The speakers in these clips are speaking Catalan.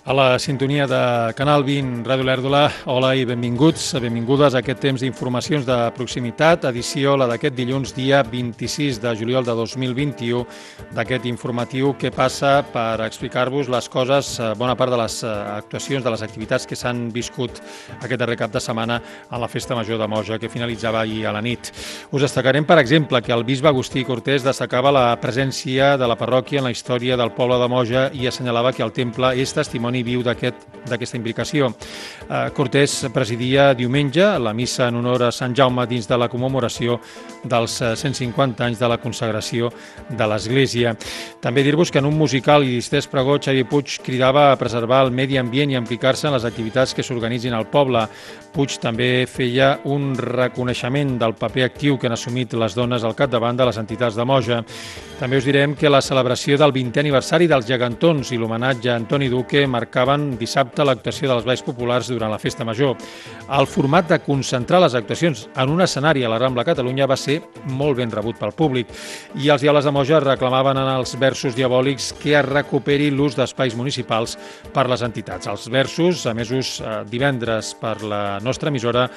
A la sintonia de Canal 20, Ràdio Lèrdola, hola i benvinguts, benvingudes a aquest temps d'informacions de proximitat, edició la d'aquest dilluns, dia 26 de juliol de 2021, d'aquest informatiu que passa per explicar-vos les coses, bona part de les actuacions, de les activitats que s'han viscut aquest darrer cap de setmana a la Festa Major de Moja, que finalitzava ahir a la nit. Us destacarem, per exemple, que el bisbe Agustí Cortés destacava la presència de la parròquia en la història del poble de Moja i assenyalava que el temple és testimoni viu d'aquesta implicació. Cortés presidia diumenge la missa en honor a Sant Jaume dins de la commemoració dels 150 anys de la consagració de l'Església. També dir-vos que en un musical i distès pregó Xavier Puig cridava a preservar el medi ambient i implicar-se en les activitats que s'organitzin al poble. Puig també feia un reconeixement del paper actiu que han assumit les dones al capdavant de les entitats de Moja. També us direm que la celebració del 20è aniversari dels Gegantons i l'homenatge a Antoni Duque marcaven dissabte l'actuació dels balls populars durant la Festa Major. El format de concentrar les actuacions en un escenari a la Rambla Catalunya va ser molt ben rebut pel públic i els diables de Moja reclamaven en els versos diabòlics que es recuperi l'ús d'espais municipals per les entitats. Els versos, emesos divendres per la nostra emissora,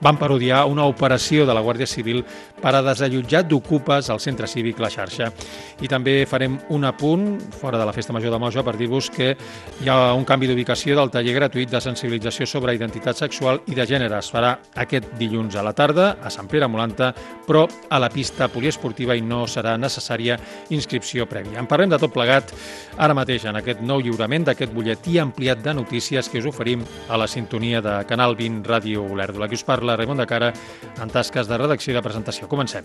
van parodiar una operació de la Guàrdia Civil per a desallotjar d'ocupes al centre cívic La Xarxa. I també farem un apunt, fora de la Festa Major de Moja, per dir-vos que hi ha un canvi d'ubicació del taller gratuït de sensibilització sobre identitat sexual i de gènere. Es farà aquest dilluns a la tarda a Sant Pere Molanta, però a la pista poliesportiva i no serà necessària inscripció prèvia. En parlem de tot plegat ara mateix en aquest nou lliurament d'aquest butlletí ampliat de notícies que us oferim a la sintonia de Canal 20 Ràdio Lèrdola. Aquí us parla Raimon de Cara en tasques de redacció i de presentació. Comencem.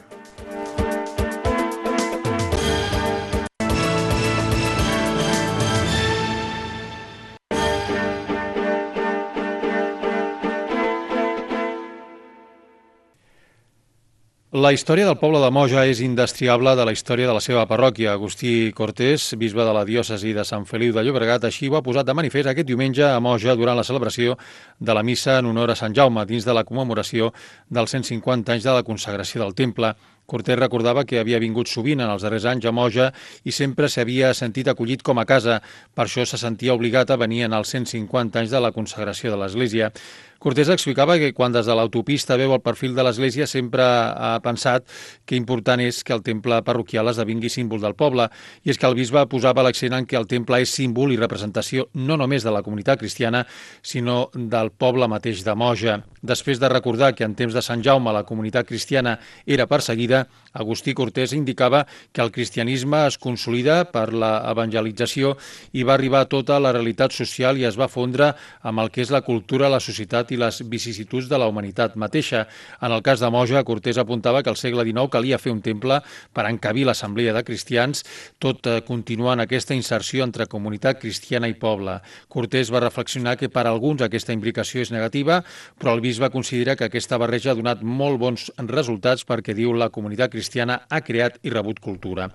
La història del poble de Moja és indestriable de la història de la seva parròquia. Agustí Cortés, bisbe de la diòcesi de Sant Feliu de Llobregat, així ho ha posat de manifest aquest diumenge a Moja durant la celebració de la missa en honor a Sant Jaume, dins de la commemoració dels 150 anys de la consagració del temple. Cortés recordava que havia vingut sovint en els darrers anys a Moja i sempre s'havia sentit acollit com a casa. Per això se sentia obligat a venir en els 150 anys de la consagració de l'Església. Cortés explicava que quan des de l'autopista veu el perfil de l'Església sempre ha pensat que important és que el temple parroquial esdevingui símbol del poble, i és que el bisbe posava l'accent en que el temple és símbol i representació no només de la comunitat cristiana, sinó del poble mateix de Moja. Després de recordar que en temps de Sant Jaume la comunitat cristiana era perseguida, Agustí Cortés indicava que el cristianisme es consolida per la evangelització i va arribar a tota la realitat social i es va fondre amb el que és la cultura, la societat i les vicissituds de la humanitat mateixa. En el cas de Moja, Cortés apuntava que al segle XIX calia fer un temple per encabir l'assemblea de cristians, tot continuant aquesta inserció entre comunitat cristiana i poble. Cortés va reflexionar que per alguns aquesta implicació és negativa, però el bisbe considera que aquesta barreja ha donat molt bons resultats perquè, diu, la comunitat cristiana ha creat i rebut cultura.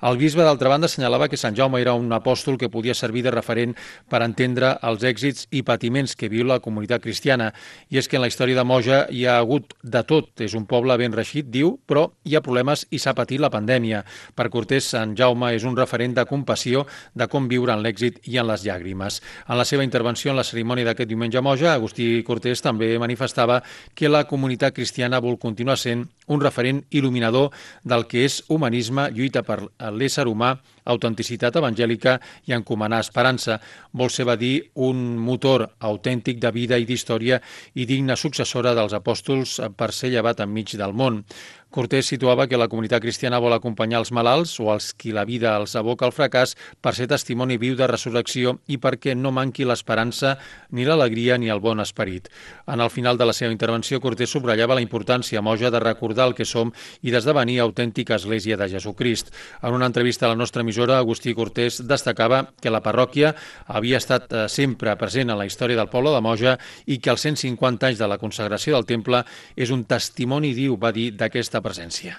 El bisbe, d'altra banda, assenyalava que Sant Jaume era un apòstol que podia servir de referent per entendre els èxits i patiments que viu la comunitat cristiana. I és que en la història de Moja hi ha hagut de tot. És un poble ben reixit, diu, però hi ha problemes i s'ha patit la pandèmia. Per Cortés, Sant Jaume és un referent de compassió, de com viure en l'èxit i en les llàgrimes. En la seva intervenció en la cerimònia d'aquest diumenge a Moja, Agustí Cortés també manifestava que la comunitat cristiana vol continuar sent un referent il·luminador del que és humanisme, lluita per l'ésser humà, autenticitat evangèlica i encomanar esperança. Vol ser, va dir, un motor autèntic de vida i d'història i digna successora dels apòstols per ser llevat enmig del món. Cortés situava que la comunitat cristiana vol acompanyar els malalts o els qui la vida els aboca al fracàs per ser testimoni viu de resurrecció i perquè no manqui l'esperança, ni l'alegria ni el bon esperit. En el final de la seva intervenció, Cortés subratllava la importància a Moja de recordar el que som i d'esdevenir autèntica Església de Jesucrist. En una entrevista a la nostra emissora, Agustí Cortés destacava que la parròquia havia estat sempre present en la història del poble de Moja i que els 150 anys de la consagració del temple és un testimoni viu, va dir, d'aquesta presència.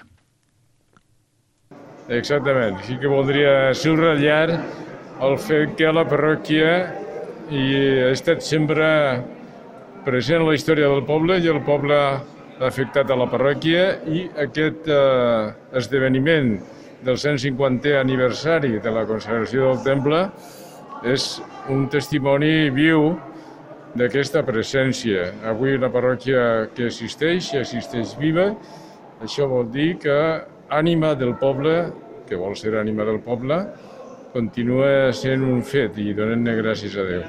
Exactament. Sí que voldria subratllar el fet que la parròquia ha estat sempre present en la història del poble i el poble ha afectat a la parròquia i aquest esdeveniment del 150è aniversari de la consagració del temple és un testimoni viu d'aquesta presència. Avui la parròquia que existeix viva, això vol dir que ànima del poble, que vol ser ànima del poble, continua sent un fet i donem-ne gràcies a Déu.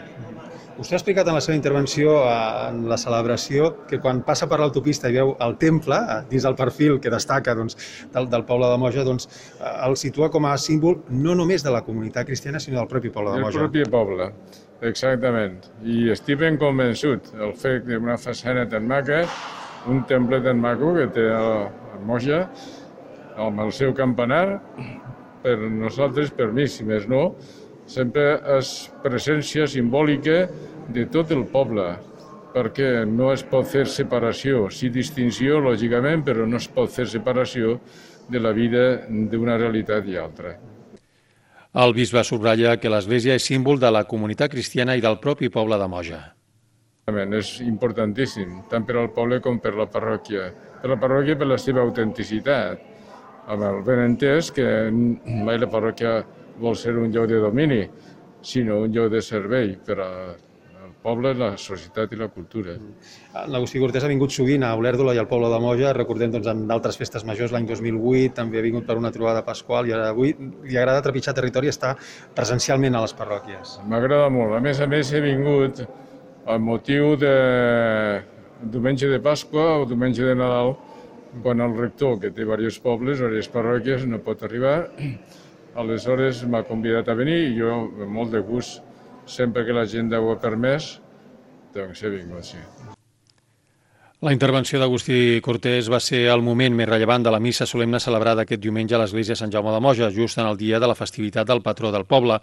Vostè ha explicat en la seva intervenció en la celebració que quan passa per l'autopista i veu el temple, dins del perfil que destaca del poble de Moja, el situa com a símbol no només de la comunitat cristiana, sinó del propi poble de Moja. Del propi poble, exactament. I estic ben convençut. El fet d'una façana tan maca, un temple tan maco que té a Moja, amb el seu campanar, per nosaltres, per mi, si més no, sempre és presència simbòlica de tot el poble, perquè no es pot fer separació, sí distinció, lògicament, però no es pot fer separació de la vida d'una realitat i altra. El bisbe subratlla que l'Església és símbol de la comunitat cristiana i del propi poble de Moja. És importantíssim, tant per al poble com per la parròquia. Per la parròquia per la seva autenticitat, amb el benentès que mai la parròquia vol ser un lloc de domini, sinó un lloc de servei per al poble, la societat i la cultura. L'Agustí Cortés ha vingut sovint a Olèrdola i al poble de Moja, recordem en d'altres festes majors l'any 2008, també ha vingut per una trobada pasqual i avui li agrada trepitjar territori i estar presencialment a les parròquies. M'agrada molt. A més, he vingut amb motiu de diumenge de Pasqua o diumenge de Nadal, quan el rector, que té diversos pobles, diverses parròquies, no pot arribar. Aleshores m'ha convidat a venir i jo, amb molt de gust, sempre que l'agenda ho ha permès, doncs he vingut, sí. La intervenció d'Agustí Cortés va ser el moment més rellevant de la missa solemne celebrada aquest diumenge a l'església Sant Jaume de Moja, just en el dia de la festivitat del patró del poble.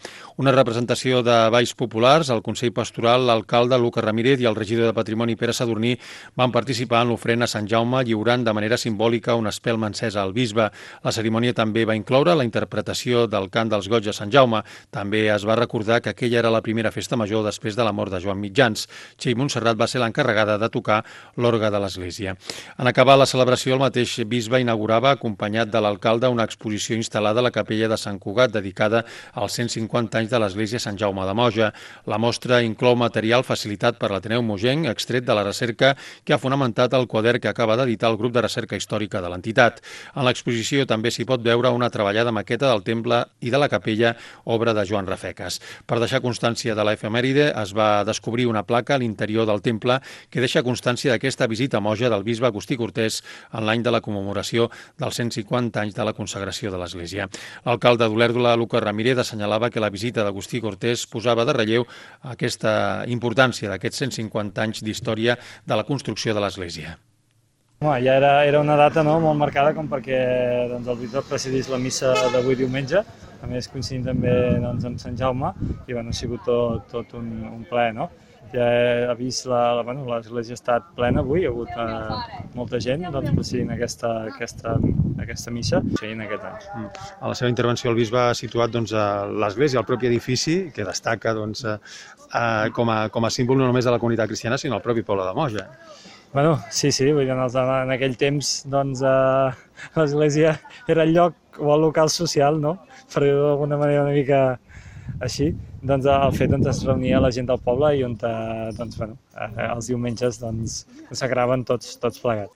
Una representació de balls populars, el Consell Pastoral, l'alcalde Lucas Ramírez i el regidor de Patrimoni Pere Sadurní van participar en l'ofrena a Sant Jaume, lliurant de manera simbòlica una espelma encesa al bisbe. La cerimònia també va incloure la interpretació del cant dels goigs de Sant Jaume. També es va recordar que aquella era la primera festa major després de la mort de Joan Mitjans. Txell Montserrat va ser l'encarregada de tocar l'orgue de l'Església. En acabar la celebració, el mateix bisbe inaugurava, acompanyat de l'alcalde, una exposició instal·lada a la capella de Sant Cugat dedicada als 150 anys de l'Església Sant Jaume de Moja. La mostra inclou material facilitat per l'Ateneu Mogenc, extret de la recerca que ha fonamentat el quadern que acaba d'editar el grup de recerca històrica de l'entitat. En l'exposició també s'hi pot veure una treballada maqueta del temple i de la capella, obra de Joan Rafeques. Per deixar constància de l'efemèride, es va descobrir una placa a l'interior del temple que deixa constància d'aquesta visita a Moja del bisbe Agustí Cortés en l'any de la commemoració dels 150 anys de la consagració de l'Església. L'alcalde d'Olèrdola, Lucas Ramírez, assenyalava que la visita d'Agustí Cortés posava de relleu aquesta importància d'aquests 150 anys d'història de la construcció de l'Església. Ja era una data molt marcada com perquè el bisbe presidís la missa d'avui diumenge, a més coincidint també amb Sant Jaume, i ha sigut tot un plaer. Ja ha vist l'església ha estat plena avui, hi ha hagut molta gent presidint aquesta missa en aquest any. A la seva intervenció el bisbe ha situat l'església, el propi edifici, que destaca com a símbol no només de la comunitat cristiana, sinó del propi poble de Moja. Sí, vull dir, en aquell temps l'església era el lloc o el local social, per dir-ho d'alguna manera una mica així. El fet es reunia la gent del poble i on els diumenges consagraven tots plegats.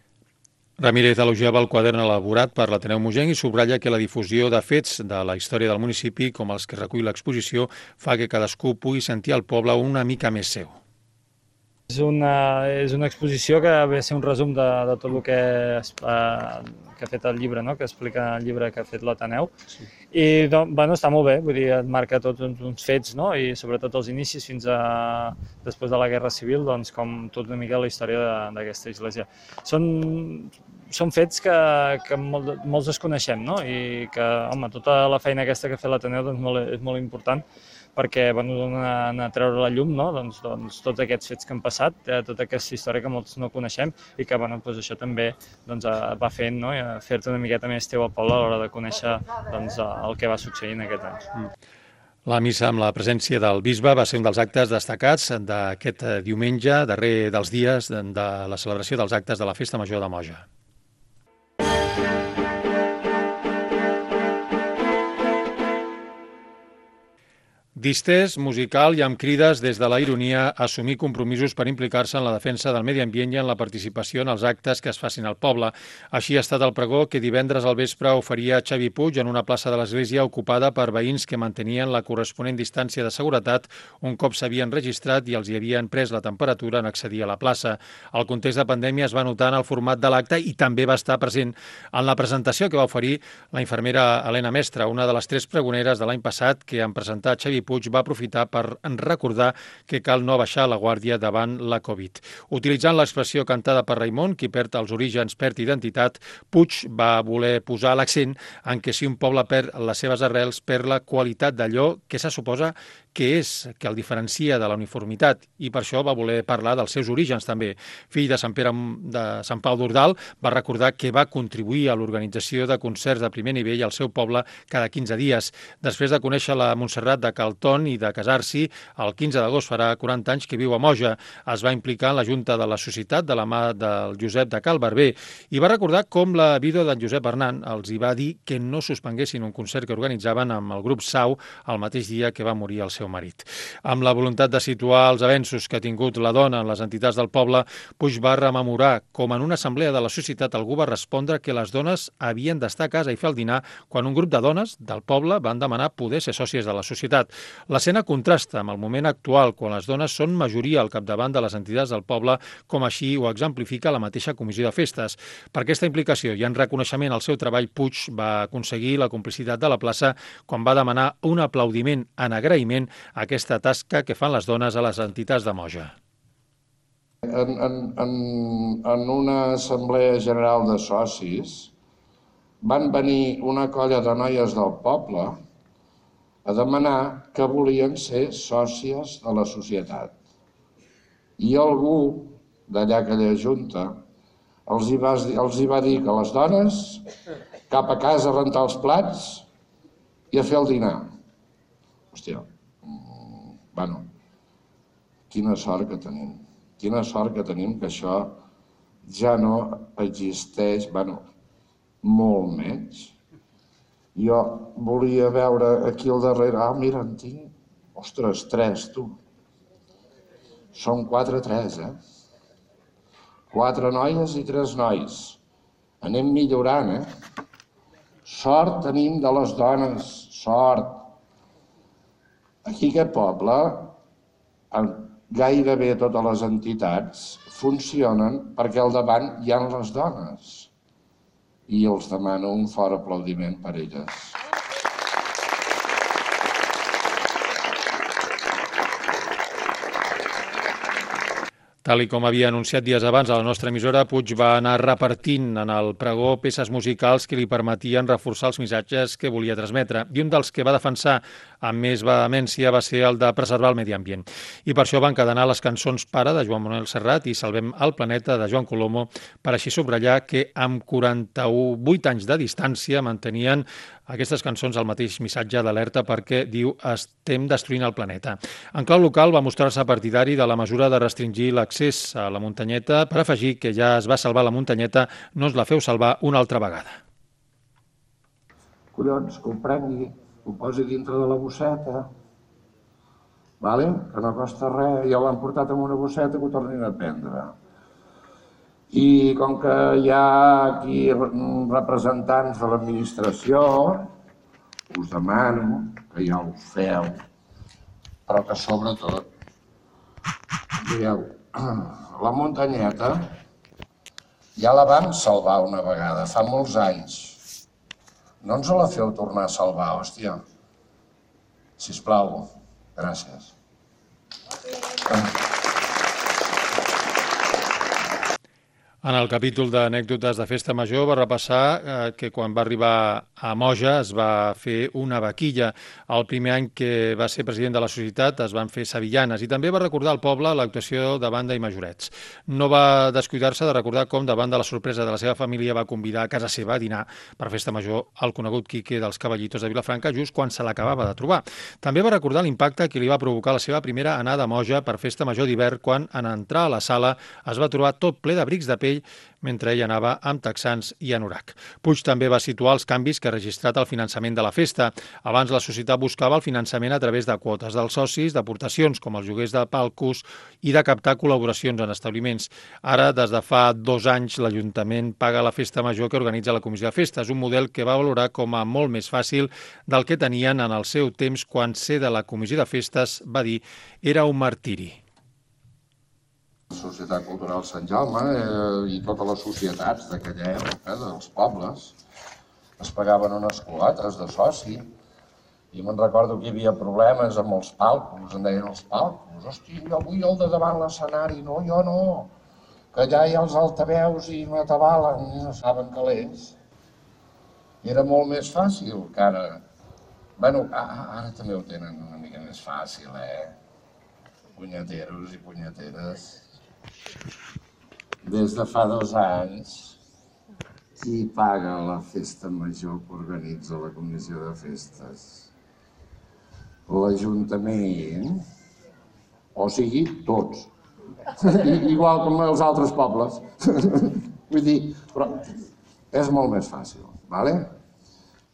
Ramírez elogiava el quadern elaborat per l'Ateneu Mogenc i subratlla que la difusió de fets de la història del municipi, com els que recull l'exposició, fa que cadascú pugui sentir el poble una mica més seu. És una exposició que ve a ser un resum de tot el que ha fet el llibre, que explica el llibre que ha fet l'Ateneu. I està molt bé, vull dir, et marca tots uns fets, i sobretot els inicis fins a després de la Guerra Civil, com tota una mica la història d'aquesta església. Són fets que molts desconeixem, i que, tota la feina aquesta que ha fet l'Ateneu és molt important, perquè donen a treure la llum tots aquests fets que han passat, tota aquesta història que molts no coneixem i que això també va fent, fer-te una miqueta més teu al poble a l'hora de conèixer el que va succeir en aquest any. La missa amb la presència del bisbe va ser un dels actes destacats d'aquest diumenge, darrer dels dies de la celebració dels actes de la Festa Major de Moja. Distès, musical i amb crides des de la ironia a assumir compromisos per implicar-se en la defensa del medi ambient i en la participació en els actes que es facin al poble. Així ha estat el pregó que divendres al vespre oferia Xavi Puig en una plaça de l'església ocupada per veïns que mantenien la corresponent distància de seguretat un cop s'havien registrat i els hi havien pres la temperatura en accedir a la plaça. El context de pandèmia es va notar en el format de l'acte i també va estar present en la presentació que va oferir la infermera Helena Mestre, una de les 3 pregoneres de l'any passat que en presentar Xavi Puig va aprofitar per recordar que cal no baixar la guàrdia davant la Covid. Utilitzant l'expressió cantada per Raimon, qui perd els orígens perd identitat, Puig va voler posar l'accent en que si un poble perd les seves arrels, perd la qualitat d'allò que se suposa que és, que el diferencia de la uniformitat, i per això va voler parlar dels seus orígens també. Fill de Sant Pau d'Ordal, va recordar que va contribuir a l'organització de concerts de primer nivell al seu poble cada 15 dies. Després de conèixer la Montserrat de Calton i de casar-s'hi, el 15 d'agost farà 40 anys que viu a Moja. Es va implicar en la Junta de la Societat de la mà del Josep de Cal Barber i va recordar com la vídua d'en Josep Hernán els hi va dir que no suspenguessin un concert que organitzaven amb el grup Sau el mateix dia que va morir el seu marit. Amb la voluntat de situar els avenços que ha tingut la dona en les entitats del poble, Puig va rememorar com en una assemblea de la societat algú va respondre que les dones havien d'estar a casa i fer el dinar quan un grup de dones del poble van demanar poder ser sòcies de la societat. L'escena contrasta amb el moment actual, quan les dones són majoria al capdavant de les entitats del poble, com així ho exemplifica la mateixa comissió de festes. Per aquesta implicació i en reconeixement al seu treball, Puig va aconseguir la complicitat de la plaça quan va demanar un aplaudiment en agraïment a aquesta tasca que fan les dones a les entitats de Moja. En una assemblea general de socis van venir una colla de noies del poble a demanar que volien ser sòcies de la societat. I algú d'allà aquella junta els hi va dir que les dones cap a casa a rentar els plats i a fer el dinar. Hòstia, bueno, quina sort que tenim. Quina sort que tenim que això ja no existeix, bueno, molt menys. Jo volia veure aquí al darrere, mira, en tinc, ostres, 3, tu. Són 4-3, 4 noies i 3 nois. Anem millorant, Sort tenim de les dones, sort. Aquí aquest poble, gairebé totes les entitats funcionen perquè al davant hi ha les dones. I els demano un fort aplaudiment per elles. Tal i com havia anunciat dies abans a la nostra emissora, Puig va anar repartint en el pregó peces musicals que li permetien reforçar els missatges que volia transmetre. I un dels que va defensar amb més vehemència va ser el de preservar el medi ambient. I per això van encadenar les cançons Pare, de Joan Manuel Serrat, i Salvem el planeta, de Joan Colomo, per així subratllar que amb 48 anys de distància mantenien aquestes cançons el mateix missatge d'alerta perquè, diu, estem destruint el planeta. En clau local va mostrar-se partidari de la mesura de restringir l'accés a la muntanyeta per afegir que ja es va salvar la muntanyeta, no es la feu salvar una altra vegada. Collons, que ho prengui, ho posi dintre de la bosseta, vale? Que no costa res, ja l'han portat en una bosseta que ho tornin a prendre. I com que hi ha aquí representants de l'administració, us demano que ja ho feu, però que sobretot, mireu, la muntanyeta ja la vam salvar una vegada, fa molts anys. No ens la feu tornar a salvar, hòstia. Sisplau, gràcies. En el capítol d'anècdotes de Festa Major va repassar que quan va arribar a Moja es va fer una vaquilla. El primer any que va ser president de la societat es van fer sevillanes i també va recordar al poble l'actuació de banda i majorets. No va descuidar-se de recordar com, davant de la sorpresa de la seva família, va convidar a casa seva a dinar per Festa Major el conegut Quique dels Cavallitos de Vilafranca just quan se l'acabava de trobar. També va recordar l'impacte que li va provocar la seva primera anada a Moja per Festa Major d'hivern quan, en entrar a la sala, es va trobar tot ple d'abrics de pell Circell, mentre ell anava amb texans i anorac. Puig també va situar els canvis que ha registrat el finançament de la festa. Abans la societat buscava el finançament a través de quotes dels socis, d'aportacions com els lloguers de palcos i de captar col·laboracions en establiments. Ara, des de fa 2 anys, l'Ajuntament paga la festa major que organitza la Comissió de Festes, un model que va valorar com a molt més fàcil del que tenien en el seu temps quan ser de la Comissió de Festes, va dir, era un martiri. La Societat Cultural Sant Jaume i totes les societats d'aquella època, dels pobles, es pagaven unes quotes de soci. I me'n recordo que hi havia problemes amb els palcos, en deien els palcos. Hosti, jo vull el de davant l'escenari. No, jo no, que allà hi ha els altaveus i m'atabalen, i no saben calés. I era molt més fàcil que ara. Bueno, ara també ho tenen una mica més fàcil, Punyeteros i punyeteres. Des de fa 2 anys, qui paga la festa major que organitza la Comissió de Festes? L'Ajuntament, o sigui, tots. Igual com els altres pobles. Vull dir, però és molt més fàcil, ¿vale?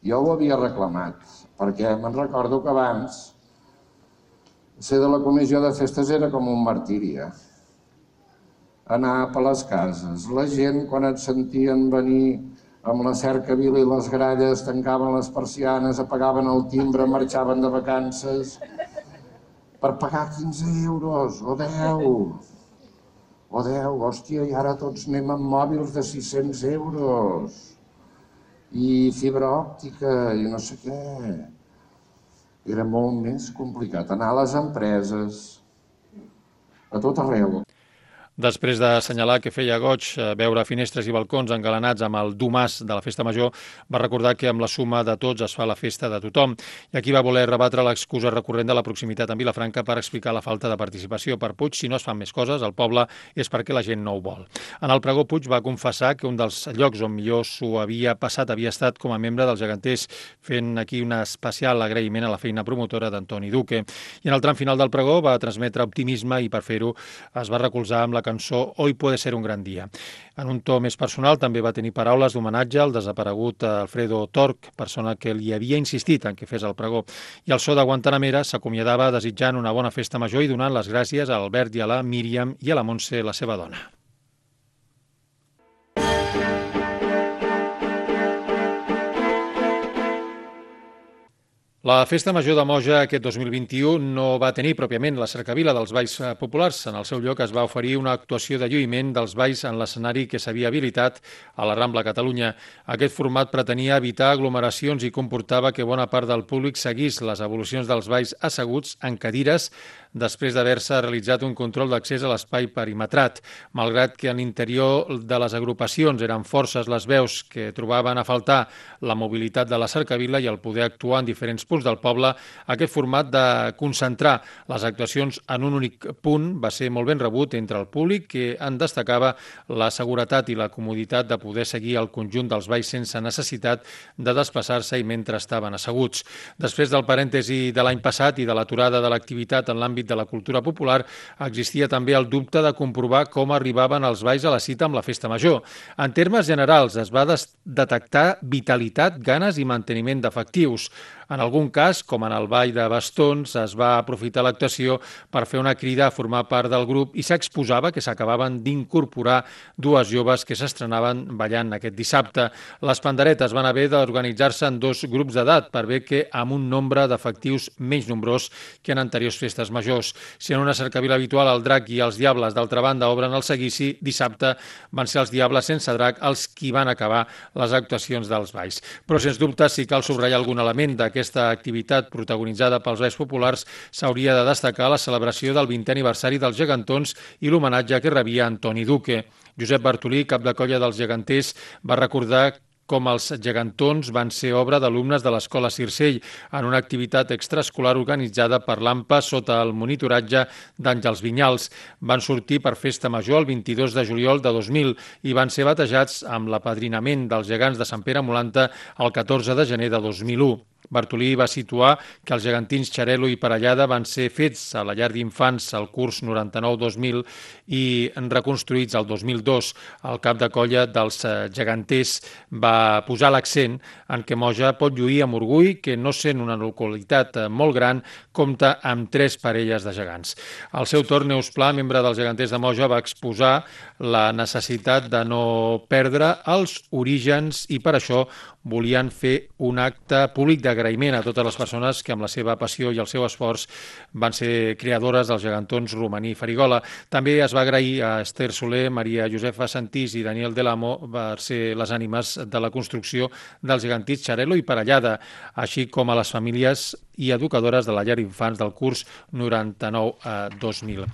Jo ho havia reclamat, perquè me'n recordo que abans ser de la Comissió de Festes era com un martiri, anar per les cases. La gent, quan et sentien venir amb la cercavila i les gralles, tancaven les persianes, apagaven el timbre, marxaven de vacances per pagar 15 euros o 10. O 10, hòstia, i ara tots anem amb mòbils de 600 euros. I fibra òptica i no sé què. Era molt més complicat anar a les empreses, a tot arreu. Després d'assenyalar que feia goig veure finestres i balcons engalanats amb el domàs de la festa major, va recordar que amb la suma de tots es fa la festa de tothom. I aquí va voler rebatre l'excusa recurrent de la proximitat amb Vilafranca per explicar la falta de participació. Per Puig, si no es fan més coses al poble és perquè la gent no ho vol. En el pregó, Puig va confessar que un dels llocs on millor s'ho havia passat havia estat com a membre dels geganters, fent aquí un especial agraïment a la feina promotora d'Antoni Duque. I en el tram final del pregó va transmetre optimisme i per fer-ho es va recolzar amb la cançó Hoy puede ser un gran dia. En un to més personal també va tenir paraules d'homenatge al desaparegut Alfredo Torch, persona que li havia insistit en que fes el pregó. I el so de Guantanamera s'acomiadava desitjant una bona festa major i donant les gràcies a l'Albert i a la Míriam i a la Montse, la seva dona. La Festa Major de Moja aquest 2021 no va tenir pròpiament la cercavila dels balls populars. En el seu lloc es va oferir una actuació de lluïment dels balls en l'escenari que s'havia habilitat a la Rambla Catalunya. Aquest format pretenia evitar aglomeracions i comportava que bona part del públic seguís les evolucions dels balls asseguts en cadires després d'haver-se realitzat un control d'accés a l'espai perimetrat. Malgrat que en l'interior de les agrupacions eren forces les veus que trobaven a faltar la mobilitat de la cercavila i el poder actuar en diferents punts del poble, aquest format de concentrar les actuacions en un únic punt va ser molt ben rebut entre el públic, que en destacava la seguretat i la comoditat de poder seguir el conjunt dels balls sense necessitat de desplaçar-se i mentre estaven asseguts. Després del parèntesi de l'any passat i de l'aturada de l'activitat en l'àmbit de la cultura popular, existia també el dubte de comprovar com arribaven els balls a la cita amb la festa major. En termes generals, es va detectar vitalitat, ganes i manteniment d'efectius. En algun cas, com en el ball de bastons, es va aprofitar l'actuació per fer una crida a formar part del grup i s'exposava que s'acabaven d'incorporar 2 joves que s'estrenaven ballant aquest dissabte. Les panderetes van haver d'organitzar-se en 2 grups d'edat per bé que amb un nombre d'efectius menys nombrós que en anteriors festes majors. Si en una cercavila habitual el drac i els diables d'altra banda obren el seguici, dissabte van ser els diables sense drac els qui van acabar les actuacions dels balls. Però sens dubte, si cal subratllar algun element d'aquesta activitat protagonitzada pels balls populars, s'hauria de destacar la celebració del 20è aniversari dels gegantons i l'homenatge que rebia Antoni Duque. Josep Bartolí, cap de colla dels geganters, va recordar com els gegantons van ser obra d'alumnes de l'Escola Circell en una activitat extraescolar organitzada per l'AMPA sota el monitoratge d'Àngels Vinyals. Van sortir per festa major el 22 de juliol de 2000 i van ser batejats amb l'apadrinament dels gegants de Sant Pere Molanta el 14 de gener de 2001. Bartolí va situar que els gegantins Xarel·lo i Parellada van ser fets a la llar d'infants al curs 99-2000 i reconstruïts al 2002. El cap de colla dels geganters va posar l'accent en què Moja pot lluir amb orgull que, no sent una localitat molt gran, compta amb 3 parelles de gegants. Al seu torn, Neus Pla, membre dels geganters de Moja, va exposar la necessitat de no perdre els orígens i per això volien fer un acte públic d'agraïment a totes les persones que amb la seva passió i el seu esforç van ser creadores dels gegantons Romaní i Farigola. També es va agrair a Esther Soler, Maria Josefa Santís i Daniel Delamo per ser les ànimes de la construcció dels gegantins Xarel·lo i Parellada, així com a les famílies i educadores de la llar d'infants del curs 99-2000.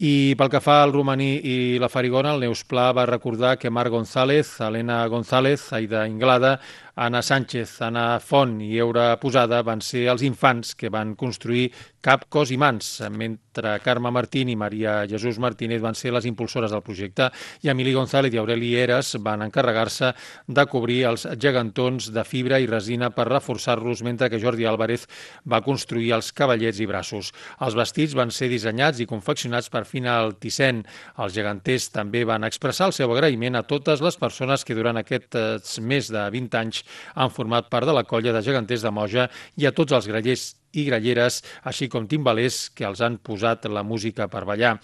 I pel que fa al Romaní i la Farigola, el Neus Pla va recordar que Marc González, Helena González, Aida Inglada, Anna Sánchez, Anna Font i Eura Posada van ser els infants que van construir Cap, Cos i Mans, mentre Carme Martín i Maria Jesús Martínez van ser les impulsores del projecte i Emili González i Aureli Eres van encarregar-se de cobrir els gegantons de fibra i resina per reforçar-los, mentre que Jordi Álvarez va construir els cavallets i braços. Els vestits van ser dissenyats i confeccionats per Fina Altisent. Els geganters també van expressar el seu agraïment a totes les persones que durant aquests més de 20 anys han format part de la colla de geganters de Moja i a tots els grallers i gralleres, així com timbalers que els han posat la música per ballar.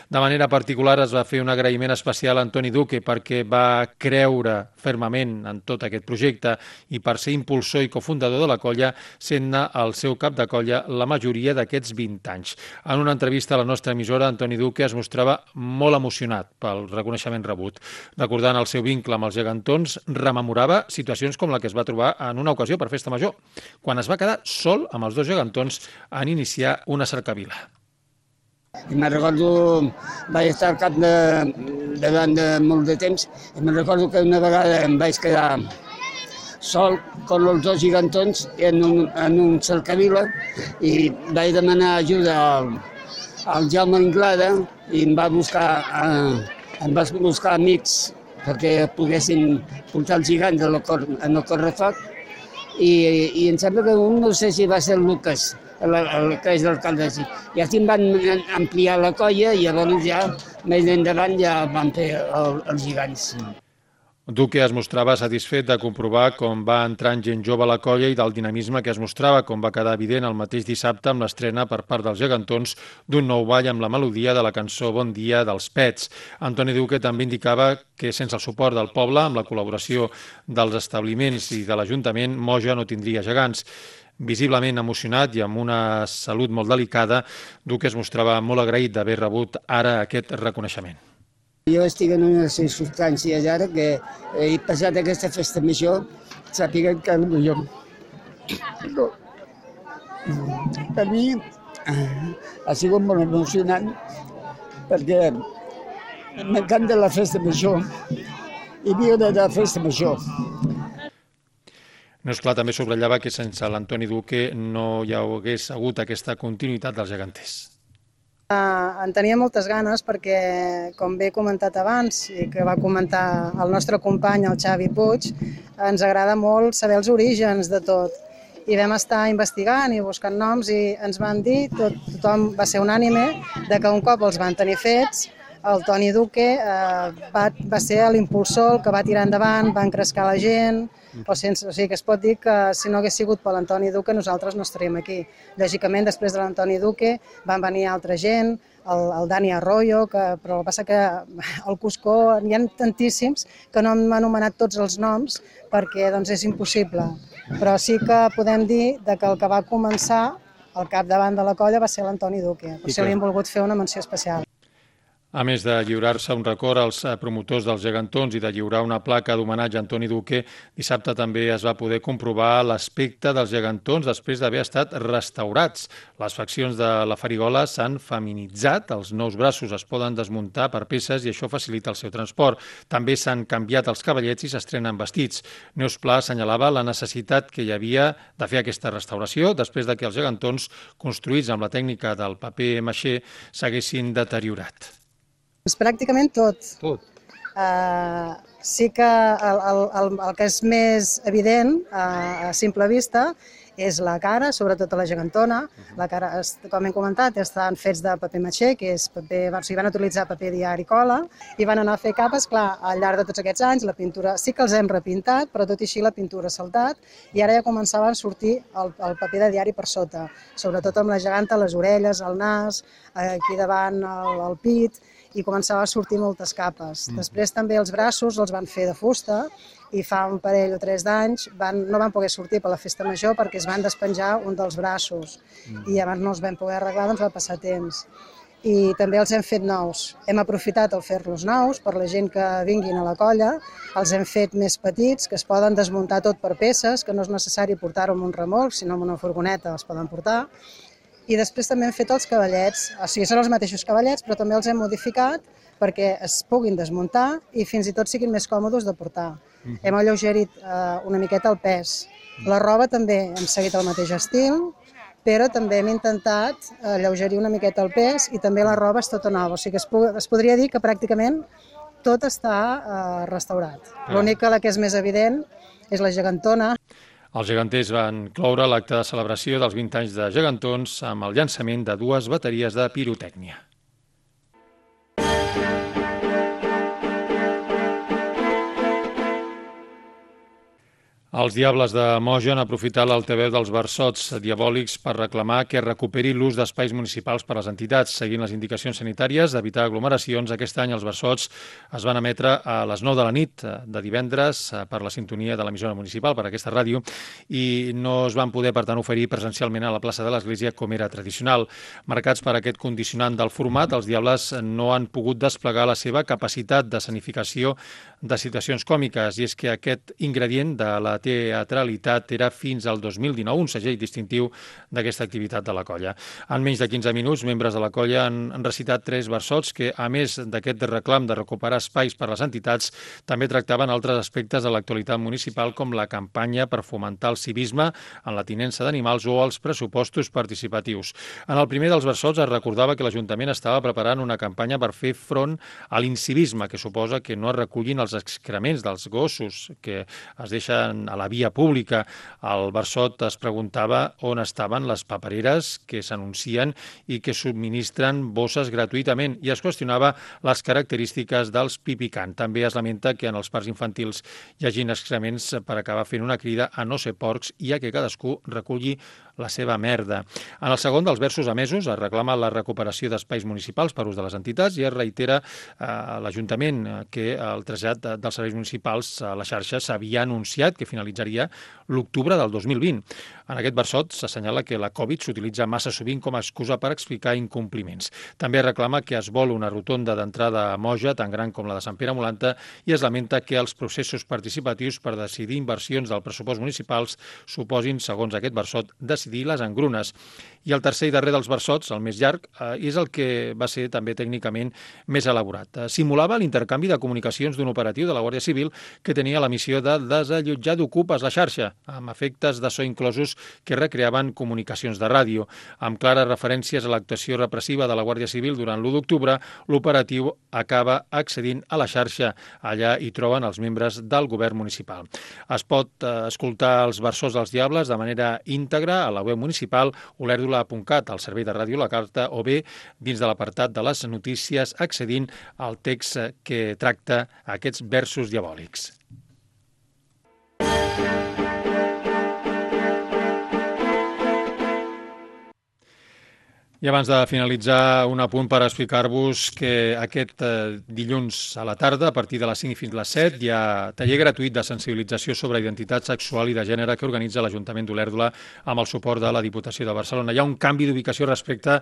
De manera particular es va fer un agraïment especial a Antoni Duque perquè va creure fermament en tot aquest projecte i per ser impulsor i cofundador de la colla, sent-ne el seu cap de colla la majoria d'aquests 20 anys. En una entrevista a la nostra emissora, Antoni Duque es mostrava molt emocionat pel reconeixement rebut. Recordant el seu vincle amb els gegantons, rememorava situacions com la que es va trobar en una ocasió per Festa Major, quan es va quedar sol amb els dos gegantons en iniciar una cercavila. Me'n recordo, vaig estar al cap davant de molt de temps, i me'n recordo que una vegada em vaig quedar sol amb els dos gegantons en un cercavila i vaig demanar ajuda al Jaume Inglada i em va buscar amics perquè poguessin portar els gegants en el correfoc. I em sembla que un, no sé si va ser el Lucas, el que és l'alcalde així. I així em van ampliar la colla i llavors ja, més endavant, ja van fer els gegants. Duque es mostrava satisfet de comprovar com va entrar en gent jove a la colla i del dinamisme que es mostrava, com va quedar evident el mateix dissabte amb l'estrena per part dels gegantons d'un nou ball amb la melodia de la cançó Bon dia dels Pets. Antoni Duque també indicava que sense el suport del poble, amb la col·laboració dels establiments i de l'Ajuntament, Moja no tindria gegants. Visiblement emocionat i amb una salut molt delicada, Duque es mostrava molt agraït d'haver rebut ara aquest reconeixement. Jo estic en unes circumstàncies ara que he passat aquesta festa major, sàpiguen que per mi ha sigut molt emocionant perquè m'encanta la festa major i viure de la festa major. Neus Pla també subratllava que sense l'Antoni Duque no hi hagués hagut aquesta continuïtat dels geganters. En tenia moltes ganes perquè, com bé he comentat abans i que va comentar el nostre company, el Xavi Puig, ens agrada molt saber els orígens de tot. I vam estar investigant i buscant noms i ens van dir, tothom va ser unànime, que un cop els van tenir fets, el Toni Duque va ser l'impulsor, el que va tirar endavant, va encrescar la gent, o sigui que es pot dir que si no hagués sigut per l'Antoni Duque nosaltres no estaríem aquí. Lògicament, després de l'Antoni Duque van venir altra gent, el Dani Arroyo, però el que passa que el Cuscó, hi ha tantíssims que no hem anomenat tots els noms perquè és impossible. Però sí que podem dir que el que va començar al capdavant de la colla va ser l'Antoni Duque. Per això li hem volgut fer una menció especial. A més de lliurar-se un record als promotors dels gegantons i de lliurar una placa d'homenatge a Antoni Duque, dissabte també es va poder comprovar l'aspecte dels gegantons després d'haver estat restaurats. Les faccions de la farigola s'han feminitzat, els nous braços es poden desmuntar per peces i això facilita el seu transport. També s'han canviat els cavallets i s'estrenen vestits. Neus Pla assenyalava la necessitat que hi havia de fer aquesta restauració després de que els gegantons, construïts amb la tècnica del paper maixé, s'haguessin deteriorat. Pràcticament tot. Sí que el que és més evident a simple vista és la cara, sobretot a la gegantona. La cara, com hem comentat, estan fets de paper matxer, que és paper, o sigui, van utilitzar paper diari cola, i van anar a fer capes. Clar, al llarg de tots aquests anys la pintura sí que els hem repintat, però tot i així la pintura ha saltat, i ara ja començaven a sortir el paper de diari per sota, sobretot amb la geganta, les orelles, el nas, aquí davant el pit, i començava a sortir moltes capes. Després també els braços els van fer de fusta, i fa un parell o 3 d'anys no van poder sortir per la festa major perquè es van despenjar un dels braços i abans no els vam poder arreglar, doncs va passar temps. I també els hem fet nous. Hem aprofitat el fer-los nous per la gent que vinguin a la colla, els hem fet més petits, que es poden desmuntar tot per peces, que no és necessari portar-ho amb un remolc, sinó amb una furgoneta els poden portar. I després també hem fet els cavallets, o sigui, són els mateixos cavallets, però també els hem modificat perquè es puguin desmuntar i fins i tot siguin més còmodes de portar. Hem alleugerit una miqueta el pes. La roba també hem seguit el mateix estil, però també hem intentat alleugerir una miqueta el pes i també la roba és tota nova. O sigui que es podria dir que pràcticament tot està restaurat. L'únic que la que és més evident és la gegantona. Els geganters van cloure l'acte de celebració dels 20 anys de gegantons amb el llançament de 2 bateries de pirotècnia. Els Diables de Moja han aprofitat l'altaveu dels versots diabòlics per reclamar que es recuperi l'ús d'espais municipals per a les entitats. Seguint les indicacions sanitàries d'evitar aglomeracions, aquest any els versots es van emetre a les 9 de la nit de divendres per la sintonia de l'emissora municipal, per aquesta ràdio, i no es van poder, per tant, oferir presencialment a la plaça de l'Església com era tradicional. Marcats per aquest condicionant del format, els Diables no han pogut desplegar la seva capacitat d'escenificació de situacions còmiques, i és que aquest ingredient de la teatralitat era fins al 2019 un segell distintiu d'aquesta activitat de la colla. En menys de 15 minuts, membres de la colla han recitat 3 versots que, a més d'aquest reclam de recuperar espais per a les entitats, també tractaven altres aspectes de l'actualitat municipal, com la campanya per fomentar el civisme en la tinença d'animals o els pressupostos participatius. En el primer dels versots es recordava que l'Ajuntament estava preparant una campanya per fer front a l'incivisme, que suposa que no es recullin els excrements dels gossos que es deixen a la via pública. El versot es preguntava on estaven les papereres que s'anuncien i que subministren bosses gratuïtament, i es qüestionava les característiques dels pipicant. També es lamenta que en els parcs infantils hi hagin excrements per acabar fent una crida a no ser porcs i a que cadascú reculli la seva merda. En el segon dels versos emesos es reclama la recuperació d'espais municipals per ús de les entitats i es reitera a l'Ajuntament que el trasllat dels serveis municipals a la xarxa s'havia anunciat que finalitzaria l'octubre del 2020. En aquest versot s'assenyala que la Covid s'utilitza massa sovint com a excusa per explicar incompliments. També reclama que es vol una rotonda d'entrada a Moja tan gran com la de Sant Pere Molanta i es lamenta que els processos participatius per decidir inversions del pressupost municipals suposin, segons aquest versot, decidir les engrunes. I el tercer i darrer dels versots, el més llarg, és el que va ser també tècnicament més elaborat. Simulava l'intercanvi de comunicacions d'un operatiu de la Guàrdia Civil que tenia la missió de desallotjar d'ocupes la xarxa, amb efectes de so inclosos que recreaven comunicacions de ràdio. Amb clares referències a l'actuació repressiva de la Guàrdia Civil durant l'1 d'octubre, l'operatiu acaba accedint a la xarxa. Allà hi troben els membres del govern municipal. Es pot escoltar els versos dels Diables de manera íntegra a la web municipal olerdula.cat, al servei de ràdio La Carta, o bé dins de l'apartat de les notícies accedint al text que tracta aquests versos diabòlics. I abans de finalitzar, un apunt per explicar-vos que aquest dilluns a la tarda, a partir de les 5 fins a les 7, hi ha taller gratuït de sensibilització sobre identitat sexual i de gènere que organitza l'Ajuntament d'Olèrdola amb el suport de la Diputació de Barcelona. Hi ha un canvi d'ubicació respecte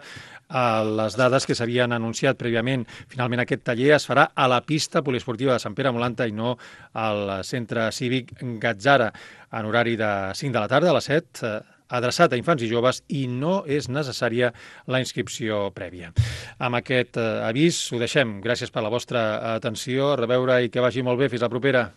a les dades que s'havien anunciat prèviament. Finalment, aquest taller es farà a la pista poliesportiva de Sant Pere Molanta i no al centre cívic Gatzara, en horari de 5 de la tarda a les 7, adreçat a infants i joves, i no és necessària la inscripció prèvia. Amb aquest avís ho deixem. Gràcies per la vostra atenció. A reveure i que vagi molt bé. Fins la propera.